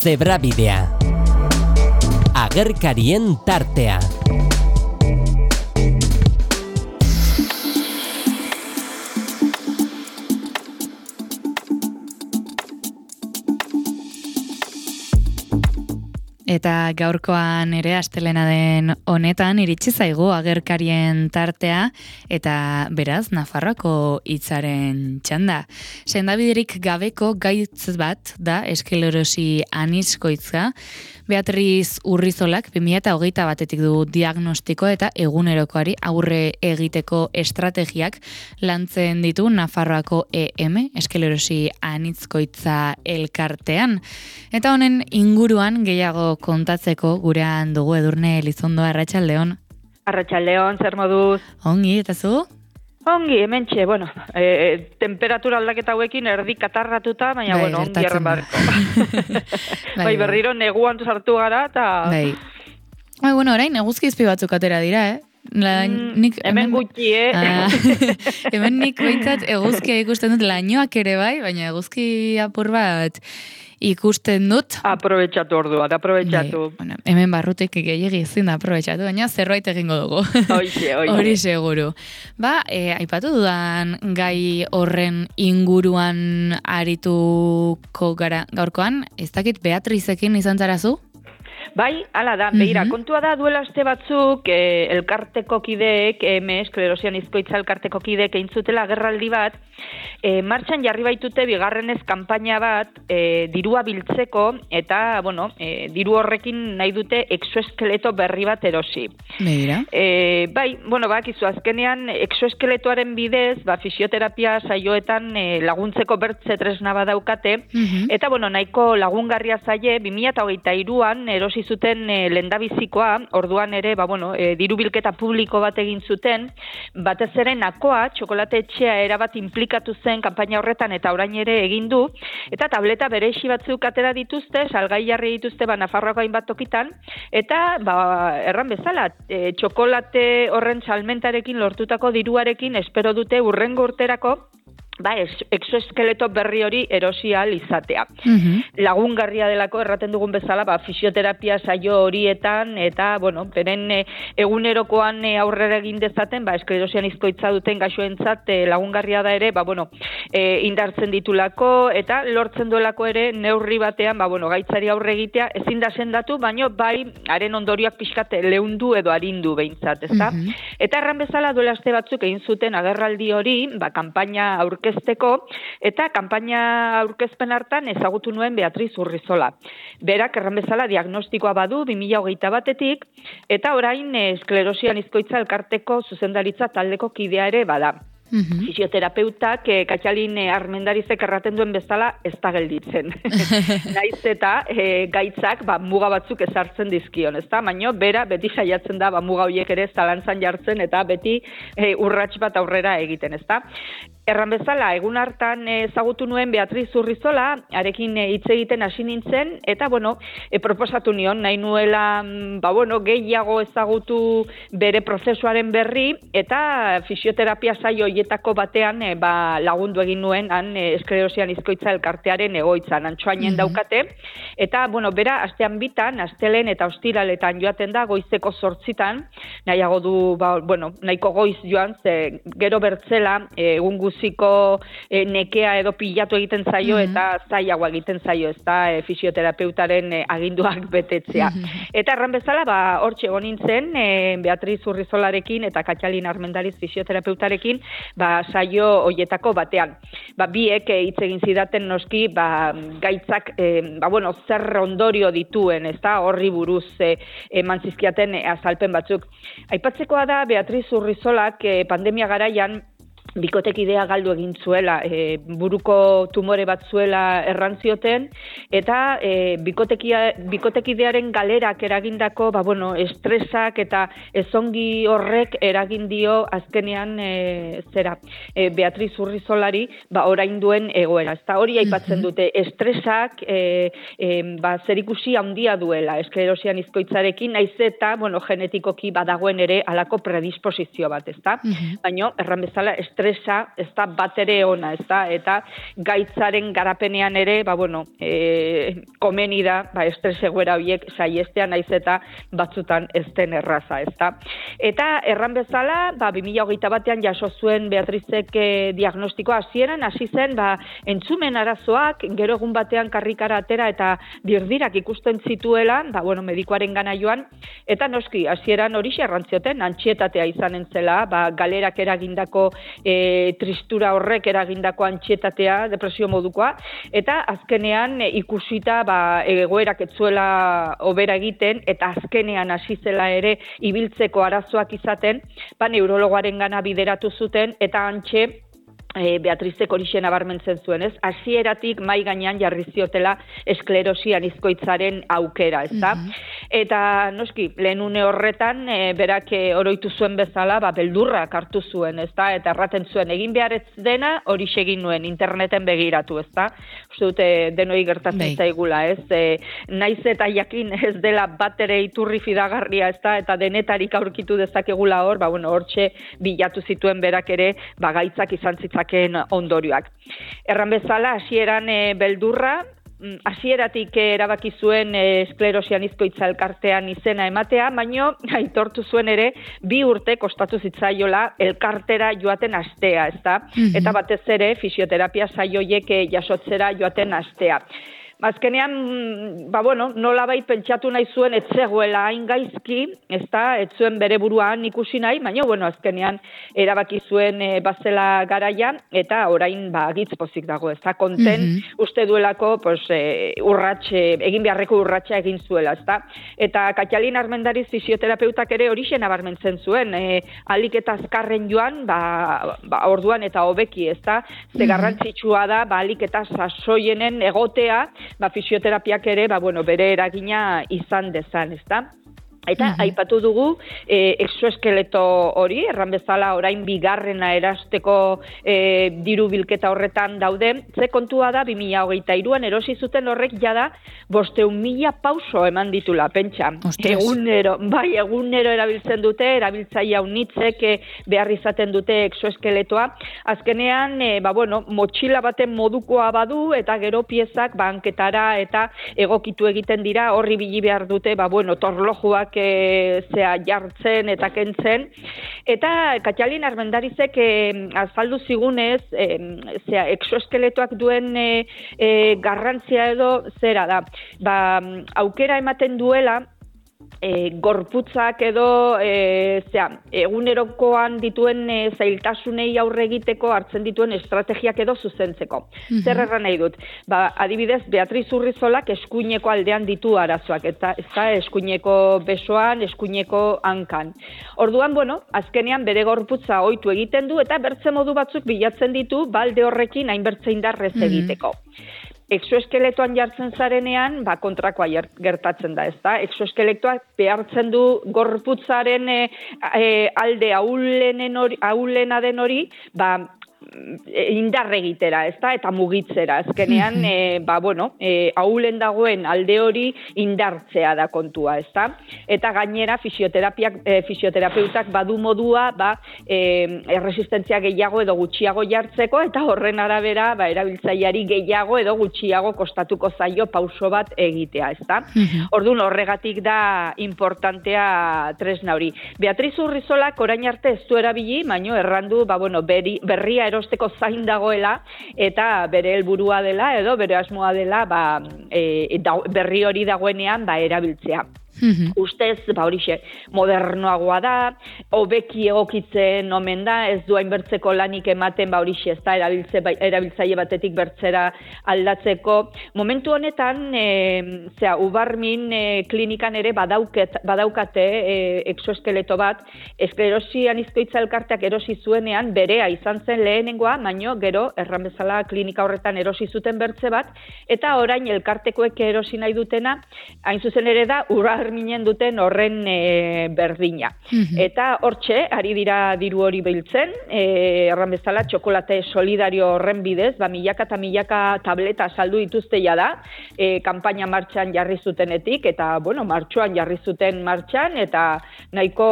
Zebrabidea. Agerkarien tartea. Eta gaurkoan ere astelena den honetan iritsi zaigu agerkarien tartea eta beraz Nafarroako hitzaren txanda. Sendabiderik gabeko gaitz bat da esklerosi aniskoitza. Beatriz Urrizolak 2021 du diagnostiko eta egunerokoari aurre egiteko estrategiak lantzen ditu Nafarroako EM, esklerosi aniskoitza elkartean. Eta honen inguruan gehiago kontatzeko gurean dugu Edurne Elizondo. Arratsaldeon. Arratsaldeon, zer moduz? Ongi, eta zu? Ongi, hementxe, bueno, temperatura aldaketa hauekin erdi katarratuta, baina, bueno, ongi erren barko. Bai, berriro neguan sartu gara, eta... Bai, bueno, orain, eguzkizpi batzuk atera dira, hemen gutxi, hemen nik behintzat eguzkia ikusten dut lainoak ere bai, baina eguzki apur bat ikusten dut. Aprobetxatu orduan, aprobetxatu. Bueno, hemen barrutik gehiagi ezin da aprobetxatu, baina zerbait egingo dugu. Oixe. Hori seguru. Aipatu dudan gai horren inguruan arituko gara gaurkoan, ez dakit Beatrizekin izan zarazu? Bai, hala da, behira, kontua da duela aste batzuk elkarteko kideek, esklerosian izkoitza elkarteko kideek eintzutela agerraldi bat, martxan jarri baitute bigarrenez kanpaina bat dirua biltzeko eta, bueno, diru horrekin nahi dute exoeskeleto berri bat erosi. Begira. Bai, bueno, bakizu, azkenean exoeskeletoaren bidez, fisioterapia saioetan laguntzeko bertze tresna badaukate, eta, bueno, nahiko lagungarria zaie, 2023an erosi zuten lendabizikoa, orduan ere, diru bilketa publiko bat egin zuten, batez ere Nakoa, txokolate etxea erabat implikatu zen kanpaina horretan eta orain ere egin du, eta tableta berexi batzuk atera dituzte, salgai jarri dituzte Nafarroako hainbat tokitan, eta erran bezala, txokolate horren salmentarekin lortutako diruarekin espero dute hurrengo urterako exoeskeleto berri hori erosi ahal izatea. Lagungarria delako erraten dugun bezala, fisioterapia saio horietan eta, bueno, beren egunerokoan aurrera egin dezaten, esklerosian izkoitza duten gaixoentzat lagungarria da ere, indartzen ditulako eta lortzen duelako ere neurri batean, gaitzari aurre egitea ezin da sendatu, baino bai haren ondorioak pixkat leundu edo arindu behintzat, ezta? Eta erran bezala duela aste batzuk egin zuten agerraldi hori, kanpaina aurkezteko, eta kanpaina aurkezpen hartan ezagutu nuen Beatriz Urrizola. Berak erran bezala diagnostikoa badu 2021etik, eta orain esklerosian izkoitza elkarteko zuzendaritza taldeko kidea ere bada. Fisioterapeutak Katxalin Armendarizek erraten duen bezala ez da gelditzen. Naiz eta gaitzak muga batzuk ezartzen dizkion, ezta? Baina bera beti saiatzen da muga horiek ere zalantzan jartzen eta beti urrats bat aurrera egiten, ezta? Erran bezala, egun hartan ezagutu nuen Beatriz Urrizola, arekin hitz egiten hasi nintzen, eta, proposatu nion, nahi nuela, gehiago ezagutu bere prozesuaren berri, eta fisioterapia saio hoietako batean lagundu egin nuen, han esklerosian izkoitza elkartearen egoitzan, Antxoainen daukate, eta, bera, astean bitan, astelen eta ostiraletan joaten da, goizeko 8:00, nahiago du, nahiko goiz joan, ze gero bertzela, egun guziko nekea edo pilatu egiten zaio eta zailago egiten zaio, ez da fisioterapeutaren aginduak betetzea. Eta erran bezala, hortxe egon nintzen, Beatriz Urrizolarekin eta Katxalin Armendariz fisioterapeutarekin, saio hoietako batean. Biek hitz egin zidaten noski, gaitzak, zer ondorio dituen, ez da, horri buruz eman zizkiaten azalpen batzuk. Aipatzekoa da, Beatriz Urrizolak pandemia garaian bikotekidea galdu egin zuela, buruko tumore bat zuela errantzioten, eta bikotekidearen galerak eragindako, estresak eta ezongi horrek eragin dio azkenean Beatriz Urrizolari, orain duen egoera. Eta hori aipatzen dute, estresak zerikusi handia duela, esklerosian izkoitzarekin, naiz eta, genetikoki badagoen ere alako predisposizio bat, ezta? Baina, erran bezala, estres enpresa ez da bat ere ona, ez da, eta gaitzaren garapenean ere, komeni da, estres egoera horiek saiestea naiz eta batzutan ez den erraza, ez da. Eta erran bezala, 2021 jaso zuen Beatrizek diagnostikoa hasieran, hasi zen, entzumen arazoak, gero egun batean karrikara atera eta dirdirak ikusten zituela, medikuaren gana joan, eta noski, hasieran hori errantzioten, antxietatea izanen zela, galerak eragindako tristura horrek eragindako antxietatea, depresio modukoa, eta azkenean ikusita egoerak etzuela hobera egiten, eta azkenean hasi zela ere ibiltzeko arazoak izaten, neurologoaren gana bideratu zuten, eta antxe Beatrizek horixe nabarmentzen zuen, ez? Hasieratik mai gainean jarri ziotela esklerosi anizkoitzaren aukera, ez da? Eta noski, lehen une horretan, berak oroitu zuen bezala, beldurrak hartu zuen, ez da? Eta erraten zuen, egin behar ez dena, horixe egin nuen, interneten begiratu, ez da? Uste dute, denoi gertatzen zaigula, ez? Naiz eta jakin ez dela bat ere iturri fidagarria, ez da? Eta denetarik aurkitu dezakegula hor, hortxe bilatu zituen berak ere, gaitzak izan zitzaken ondorioak. Erran bezala, hasieran beldurra, hasieratik erabaki zuen esklerosi anizkoitza elkartean izena ematea, baino aitortu zuen ere 2 urte kostatu zitzaiola elkartera joaten astea, ezta? Eta batez ere fisioterapia saioiek jasotzera joaten astea. Azkenean, nolabait pentsatu nahi zuen ez zegoela hain gaizki, ez zuen bere buruan ikusi nahi, baina azkenean erabaki zuen bazela garaia, eta orain gitz pozik dago, ez da, konten uste duelako egin beharreko urratsa egin zuela, ez da. Eta Katalin Armendariz fisioterapeutak ere horixe nabarmentzen zuen, ahalik eta azkarren joan, orduan eta hobeki, ez da, ze garrantzitsua da, ahalik eta sasoienen egotea, fisioterapiak ere, bere eragina izan dezan, ezta? Eta aipatu dugu exoeskeleto hori, erran bezala orain bigarrena erasteko diru bilketa horretan daude, ze kontua da 2023an erosi zuten horrek jada 500.000 pauso eman ditula, pentsa. Egunero erabiltzen dute, erabiltzaile unitzek behar izaten dute exoeskeletoa. Azkenean, motxila baten modukoa badu, eta gero piezak banketara eta egokitu egiten dira, horri bili behar dute, torlojuak jartzen eta kentzen. Eta Katalin Armendarizek azaldu zigunez, exoeskeletoak duen garrantzia edo zera da. Aukera ematen duela, gorputzak edo egunerokoan dituen zailtasunei aurre egiteko hartzen dituen estrategiak edo zuzentzeko. Zer erran nahi dut? Adibidez, Beatriz Urrizolak eskuineko aldean ditu arazoak, eta eskuineko besoan, eskuineko hankan. Orduan, azkenean bere gorputza ohitu egiten du, eta bertze modu batzuk bilatzen ditu, balde horrekin hainbertze indarrez egiteko. Exoeskeletoan jartzen zarenean, kontrakoa gertatzen da, ezta? Exoeskeletoak behartzen du gorputzaren alde ahulena den hori, indar egitera, ezta? Eta mugitzera. Azkenean, ahulen dagoen alde hori indartzea da kontua, ezta? Eta gainera fisioterapeutak badu modua, erresistentzia gehiago edo gutxiago jartzeko, eta horren arabera, erabiltzaileari gehiago edo gutxiago kostatuko zaio pauso bat egitea, ezta? Orduan horregatik da importantea tresna hori. Beatriz Urrizolak orain arte ez du erabili, baino errandu, berria erosteko zain dagoela, eta bere helburua dela, edo bere asmoa dela, berri hori dagoenean, erabiltzea. Ustez, horixe, modernoagoa da, hobeki egokitzen omen da, ez du hainbertzeko lanik ematen, horixe, ez da, erabiltzaile batetik bertzera aldatzeko. Momentu honetan, Ubarmin klinikan ere badaukate exoeskeleto bat, esklerosi anizkoitza elkarteak erosi zuenean, berea izan zen lehenengoa, baino gero, erran bezala klinika horretan erosi zuten bertze bat, eta orain elkartekoek erosi nahi dutena, hain zuzen ere da, minen duten horren berdina. Eta hortxe, ari dira diru hori biltzen, erran bezala txokolate solidario horren bidez, milaka eta milaka tableta saldu dituzte da, kanpaina martxan jarri zutenetik, eta, bueno, martxoan jarri zuten martxan, eta nahiko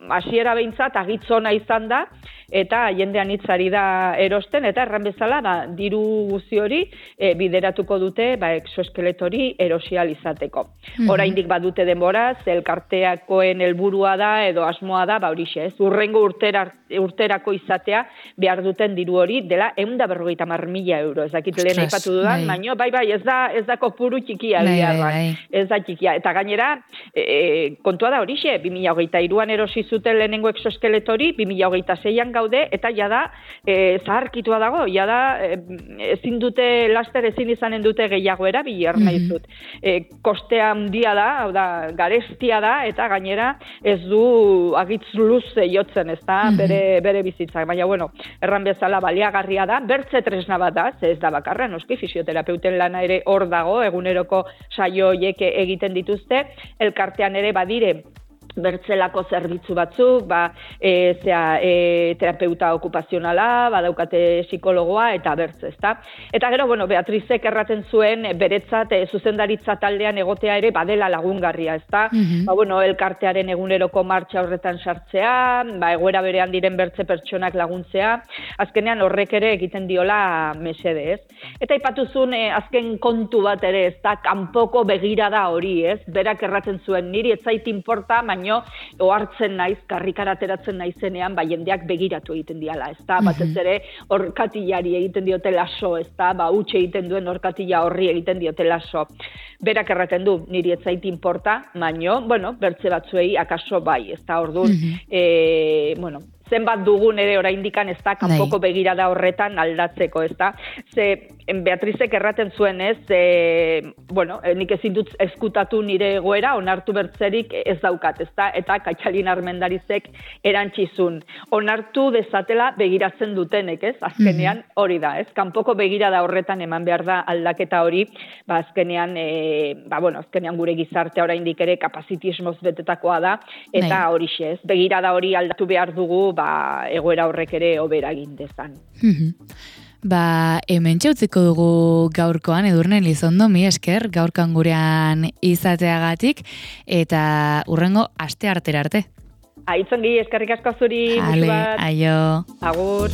hasiera behintzat agitzona izan da, eta jendean hitzari da erosten, eta erran bezala, diru guzi hori bideratuko dute exoeskeletori erosial izateko. Oraindik badute denbora, elkarteakoen helburua da, edo asmoa da, horixe, urrengo urterako izatea behar duten diru hori, dela 150.000 euro. Ez dakit lehen aipatu dudan, baina ez da kopuru txikia, ez da txikia. Eta gainera, kontua da horixe, 2023an erosi zuten lehenengo exoeskeletori, 2026an gaude, eta jada zaharkitua dago, jada ezin dute laster ezin izanen dute gehiago erabili nahi dut. Kostea handia da, hau da, garestia da, eta gainera ez du agitz luze jotzen, ez da, bere bizitzak. Baina, bueno, erran bezala baliagarria da, bertze tresna bat da, ez da bakarra, noski fisioterapeuten lana ere hor dago, eguneroko saio horiek egiten dituzte, elkartean ere badire, bertzelako zerbitzu batzuk, terapeuta okupazionala, badaukate psikologoa eta bertze, ezta? Eta gero, bueno, Beatrizek erraten zuen beretzat zuzendaritza taldean egotea ere badela lagungarria, ezta? Bueno, elkartearen eguneroko martxa horretan sartzea, egoera berean diren bertze pertsonak laguntzea, azkenean horrek ere egiten diola mesede, ez? Eta aipatuzun azken kontu bat ere, ezta? Kanpoko begirada hori, ez? Berak erraten zuen, niri ez zait inporta, baino ohartzen naiz, karrikara ateratzen naizenean, jendeak begiratu egiten diala, ezta? Batez ere orkatillari egiten diote laso, ezta? Huts egiten duen orkatilla horri egiten diote laso. Berak erraten du, niri ez zait inporta, baino, bueno, bertze batzuei akaso bai, ezta? Orduan, bueno, zenbat dugun ere oraindikan ez da kanpoko begirada horretan aldatzeko, ez da? Ze Beatrizek erraten zuen, ez? Bueno, nik ezin dut eskutatu nire egoera, onartu bertzerik ez daukat, ez da? Eta Katxalin Armendarizek erantzizun. Onartu dezatela begiratzen dutenek, ez? Azkenean hori da, ez? Kanpoko begirada horretan eman behar da aldaketa hori, azkenean, azkenean gure gizartea oraindik ere kapazitismoz betetakoa da, eta horixe, ez? Begirada hori aldatu behar dugu, egoera horrek ere hobera egin dezan. Hemen txautziko dugu gaurkoan, Edurne Elizondo, mi esker, gaurkoan gurean izateagatik, eta urrengo aste artera arte. Aitzongi, eskerrik asko zuri. Aio. Agur.